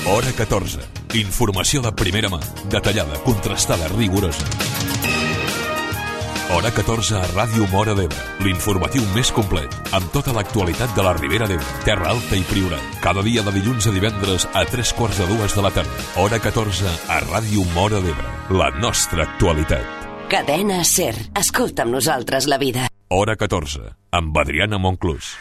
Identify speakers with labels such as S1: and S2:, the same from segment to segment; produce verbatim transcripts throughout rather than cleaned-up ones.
S1: Hora catorze. Informació de primera mà, detallada, contrastada, rigorosa. Hora catorze a Ràdio Móra d'Ebre, l'informatiu més complet, amb tota l'actualitat de la Ribera d'Ebre, Terra Alta i Priorat. Cada dia de dilluns a divendres a tres quarts de dues de la tarda. Hora catorze a Ràdio Móra d'Ebre, la nostra actualitat.
S2: Cadena SER. Escolta amb nosaltres la vida.
S1: Hora catorze, amb Adriana Monclús.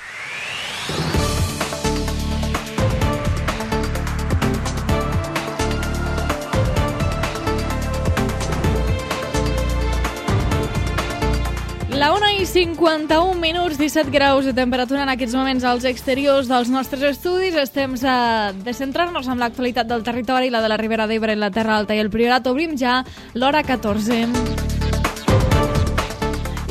S3: La una i cinquanta-un minuts, disset graus de temperatura en aquests moments als exteriors dels nostres estudis. Estem a de centrar-nos en l'actualitat del territori, la de la Ribera d'Ebre, la Terra Alta i el Priorat. Obrim ja l'hora catorze.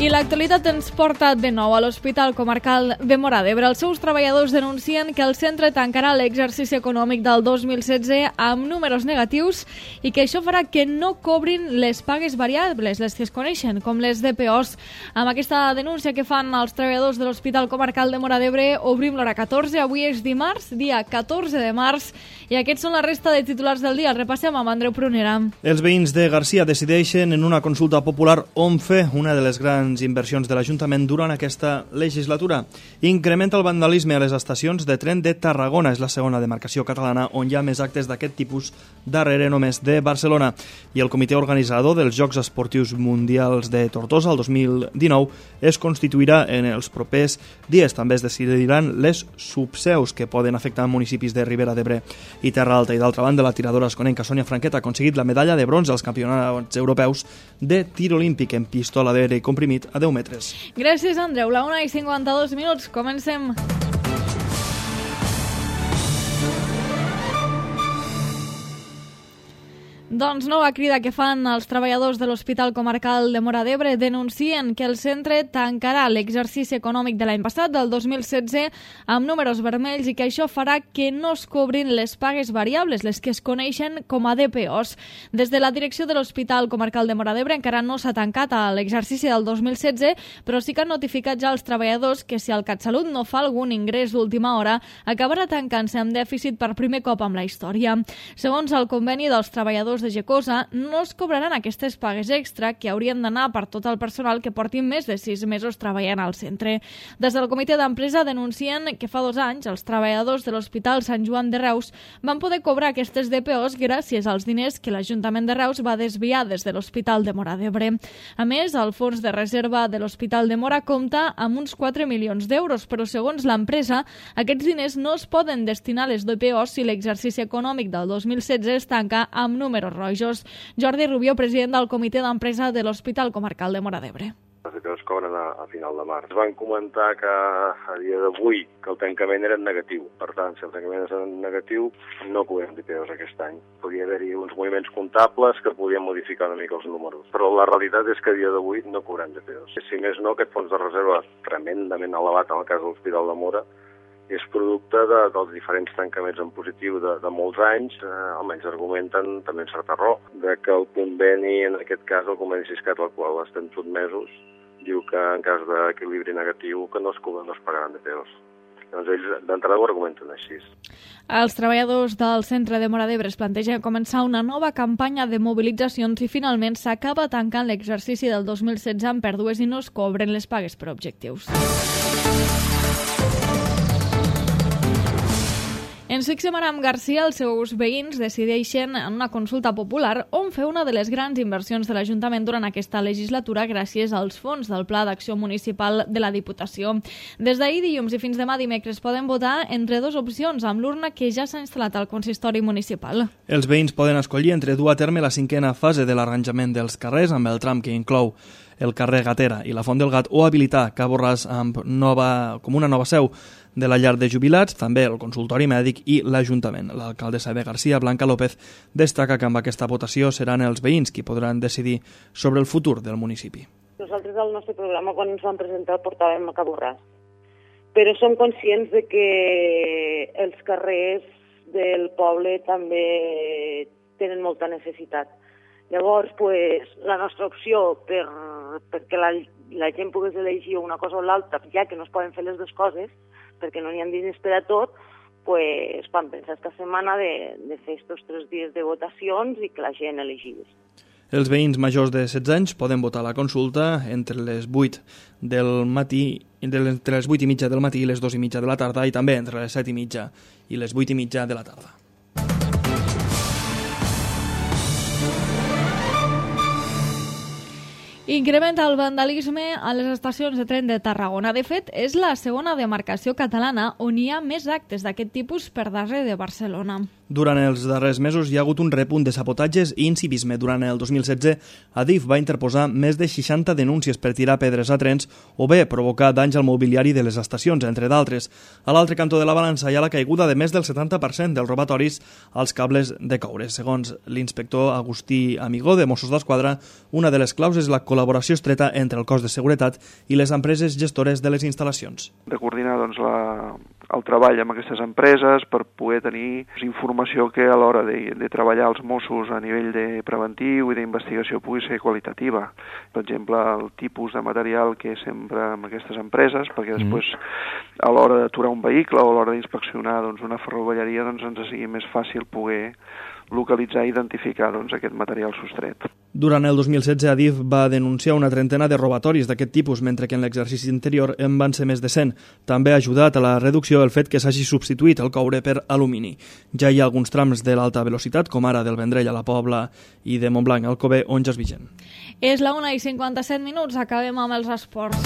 S3: I l'actualitat ens porta de nou a l'Hospital Comarcal de Móra d'Ebre. Els seus treballadors denuncien que el centre tancarà l'exercici econòmic del dos mil setze amb números negatius i que això farà que no cobrin les pagues variables, les que es coneixen com les D P Os. Amb aquesta denúncia que fan els treballadors de l'Hospital Comarcal de Móra d'Ebre, obrim l'hora catorze. Avui és dimarts, dia catorze de març, i aquests són la resta de titulars del dia. El repassem amb Andreu Prunera.
S4: Els veïns de Garcia decideixen en una consulta popular on fer una de les grans inversions de l'Ajuntament durant aquesta legislatura. Incrementa el vandalisme a les estacions de tren de Tarragona. És la segona demarcació catalana on hi ha més actes d'aquest tipus, darrere només de Barcelona. I el comitè organitzador dels Jocs Esportius Mundials de Tortosa el dos mil dinou es constituirà en els propers dies. També es decidiran les subseus que poden afectar municipis de Ribera d'Ebre i Terra Alta. I d'altra banda, la tiradora esconenca Sònia Franquet ha aconseguit la medalla de bronze als campionats europeus de tir olímpic en pistola d'aire comprimit a deu metres.
S3: Gràcies, Andreu. La una i cinquanta-dos minuts. Comencem. Doncs nova crida que fan els treballadors de l'Hospital Comarcal de Móra d'Ebre. Denuncien que el centre tancarà l'exercici econòmic de l'any passat, del dos mil setze, amb números vermells i que això farà que no es cobrin les pagues variables, les que es coneixen com a D P Os. Des de la direcció de l'Hospital Comarcal de Móra d'Ebre encara no s'ha tancat a l'exercici del dos mil setze, però sí que han notificat ja als treballadors que si el CatSalut no fa algun ingrés d'última hora, acabarà tancant-se amb dèficit per primer cop amb la història. Segons el conveni dels treballadors de Gecosa, no es cobraran aquestes pagues extra que haurien d'anar per tot el personal que portin més de sis mesos treballant al centre. Des del comitè d'empresa denuncien que fa dos anys els treballadors de l'Hospital Sant Joan de Reus van poder cobrar aquestes D P Os gràcies als diners que l'Ajuntament de Reus va desviar des de l'Hospital de Móra d'Ebre. A més, el fons de reserva de l'Hospital de Móra compta amb uns quatre milions d'euros, però segons l'empresa, aquests diners no es poden destinar a les D P Os si l'exercici econòmic del dos mil setze es tanca amb números rojos. Jordi Rubió, president del comitè d'empresa de l'Hospital Comarcal de Móra d'Ebre.
S5: Les D P Os cobren a, a final de març. Van comentar que a dia d'avui que el tancament era negatiu. Per tant, si el tancament és negatiu, no cobrem D P Os aquest any. Podria haver-hi uns moviments comptables que podien modificar una mica els números. Però la realitat és que a dia d'avui no cobrem D P Os. Si més no, aquest fons de reserva tremendament elevat en el cas de l'Hospital de Móra és producte de, dels diferents tancaments en positiu de, de molts anys, eh, almenys argumenten, també en certa raó, de que el conveni, en aquest cas el conveni Siscat al qual estem sotmesos, diu que en cas d'equilibri negatiu que no es cobren, no es pagaran D P Os. Doncs ells d'entrada ho argumenten així.
S3: Els treballadors del centre de Móra d'Ebre es plantegen començar una nova campanya de mobilitzacions i finalment s'acaba tancant l'exercici del dos mil setze amb pèrdues i no es cobren les pagues per objectius. Ens fixem ara amb Garcia. Els seus veïns decideixen en una consulta popular on fer una de les grans inversions de l'Ajuntament durant aquesta legislatura gràcies als fons del Pla d'Acció Municipal de la Diputació. Des d'ahir dilluns i fins demà dimecres poden votar entre dues opcions amb l'urna que ja s'ha instal·lat al consistori municipal.
S4: Els veïns poden escollir entre dur a terme la cinquena fase de l'arranjament dels carrers amb el tram que inclou el carrer Gatera i la Font del Gat o habilitar Ca Borràs amb nova, com una nova seu de la llar de jubilats, també el consultori mèdic i l'Ajuntament. L'alcaldessa de Garcia, Blanca López, destaca que amb aquesta votació seran els veïns qui podran decidir sobre el futur del municipi.
S6: Nosaltres al nostre programa, quan ens vam presentar, el portàvem a Ca Borràs. Però som conscients de que els carrers del poble també tenen molta necessitat. Llavors, pues, la nostra opció per, perquè la, la gent pogués elegir una cosa o l'altra, ja que no es poden fer les dues coses, perquè no n'hi ha diners per a tot, pues, van pensar esta setmana de, de fer estos tres dies de votacions i que la gent elegís.
S4: Els veïns majors de setze anys poden votar a la consulta entre les vuit del matí, entre les vuit i mitja del matí i les dos i mitja de la tarda, i també entre les set i mitja i les vuit i mitja de la tarda.
S3: Incrementa el vandalisme a les estacions de tren de Tarragona. De fet, és la segona demarcació catalana on hi ha més actes d'aquest tipus per darrere de Barcelona.
S4: Durant els darrers mesos hi ha hagut un repunt de sabotatges i incivisme. Durant el dos mil setze, Adif va interposar més de seixanta denúncies per tirar pedres a trens o bé provocar danys al mobiliari de les estacions, entre d'altres. A l'altre cantó de la balança hi ha la caiguda de més del setanta per cent dels robatoris als cables de coure. Segons l'inspector Agustí Amigó de Mossos d'Esquadra, una de les claus és la col·laboració estreta entre el cos de seguretat i les empreses gestores de les instal·lacions.
S7: De coordinar doncs, la, el treball amb aquestes empreses per poder tenir informació que a l'hora de, de treballar els Mossos a nivell de preventiu i d'investigació pugui ser qualitativa. Per exemple, el tipus de material que s'empra amb aquestes empreses, perquè després a l'hora d'aturar un vehicle o a l'hora d'inspeccionar doncs, una ferrovelleria doncs, ens sigui més fàcil poder localitzar i identificar doncs, aquest material sostret.
S4: Durant el dos mil setze, Adif va denunciar una trentena de robatoris d'aquest tipus, mentre que en l'exercici anterior en van ser més de cent. També ha ajudat a la reducció el fet que s'hagi substituït el coure per alumini. Ja hi ha alguns trams de l'alta velocitat, com ara del Vendrell a la Pobla i de Montblanc al Alcover, on ja és vigent.
S3: És la una i cinquanta-set minuts, acabem amb els esports.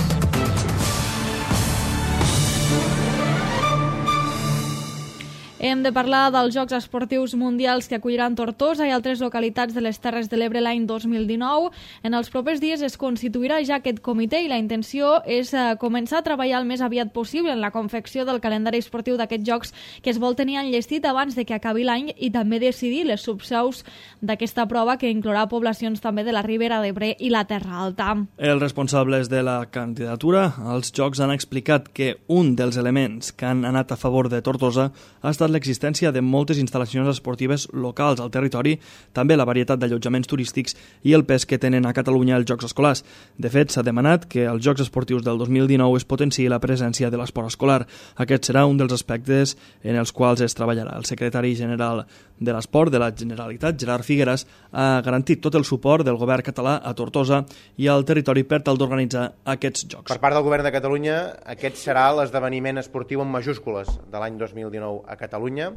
S3: Hem de parlar dels Jocs Esportius Mundials que acolliran Tortosa i altres localitats de les Terres de l'Ebre l'any dos mil dinou. En els propers dies es constituirà ja aquest comitè i la intenció és començar a treballar el més aviat possible en la confecció del calendari esportiu d'aquests Jocs que es vol tenir enllestit abans de que acabi l'any i també decidir les subseus d'aquesta prova que inclourà poblacions també de la Ribera d'Ebre i la Terra Alta.
S4: Els responsables de la candidatura als Jocs han explicat que un dels elements que han anat a favor de Tortosa ha estat l'existència de moltes instal·lacions esportives locals al territori, també la varietat d'allotjaments turístics i el pes que tenen a Catalunya els Jocs Escolars. De fet, s'ha demanat que als Jocs Esportius del dos mil dinou es potenciï la presència de l'esport escolar. Aquest serà un dels aspectes en els quals es treballarà. El secretari general de l'Esport de la Generalitat, Gerard Figueras, ha garantit tot el suport del govern català a Tortosa i al territori per tal d'organitzar aquests Jocs.
S8: Per part del govern de Catalunya, aquest serà l'esdeveniment esportiu en majúscules de l'any dos mil dinou a Catalunya,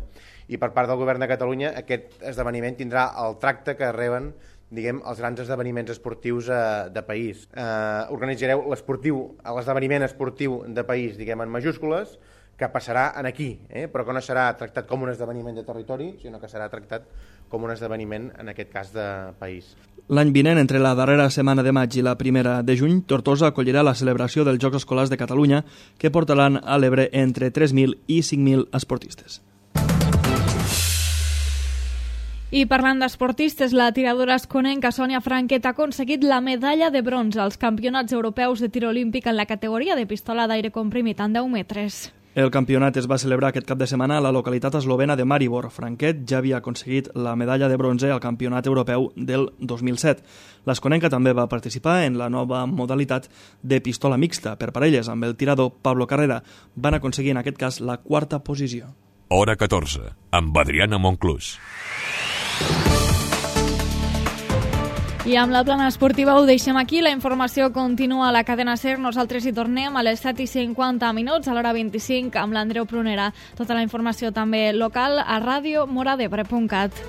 S8: i per part del govern de Catalunya aquest esdeveniment tindrà el tracte que reben diguem, els grans esdeveniments esportius eh, de país. Eh, organitzareu l'esportiu, l'esdeveniment esportiu de país, diguem, en majúscules, que passarà en aquí, eh? però que no serà tractat com un esdeveniment de territori, sinó que serà tractat com un esdeveniment, en aquest cas, de país.
S4: L'any vinent, entre la darrera setmana de maig i la primera de juny, Tortosa acollirà la celebració dels Jocs Escolars de Catalunya, que portaran a l'Ebre entre tres mil i cinc mil esportistes.
S3: I parlant d'esportistes, la tiradora asconenca Sònia Franquet ha aconseguit la medalla de bronze als campionats europeus de tir olímpic en la categoria de pistola d'aire comprimit en deu metres.
S4: El campionat es va celebrar aquest cap de setmana a la localitat eslovena de Maribor. Franquet ja havia aconseguit la medalla de bronze al campionat europeu del dos mil set. L'asconenca també va participar en la nova modalitat de pistola mixta per parelles amb el tirador Pablo Carrera. Van aconseguir en aquest cas la quarta posició.
S1: Hora catorze, amb Adriana Monclús.
S3: I amb la plana esportiva ho deixem aquí. La informació continua a la cadena SER. Nosaltres hi tornem a les set i cinquanta minuts, a l'hora vint-i-cinc, amb l'Andreu Prunera. Tota la informació també local a ràdio mora d'ebre punt cat.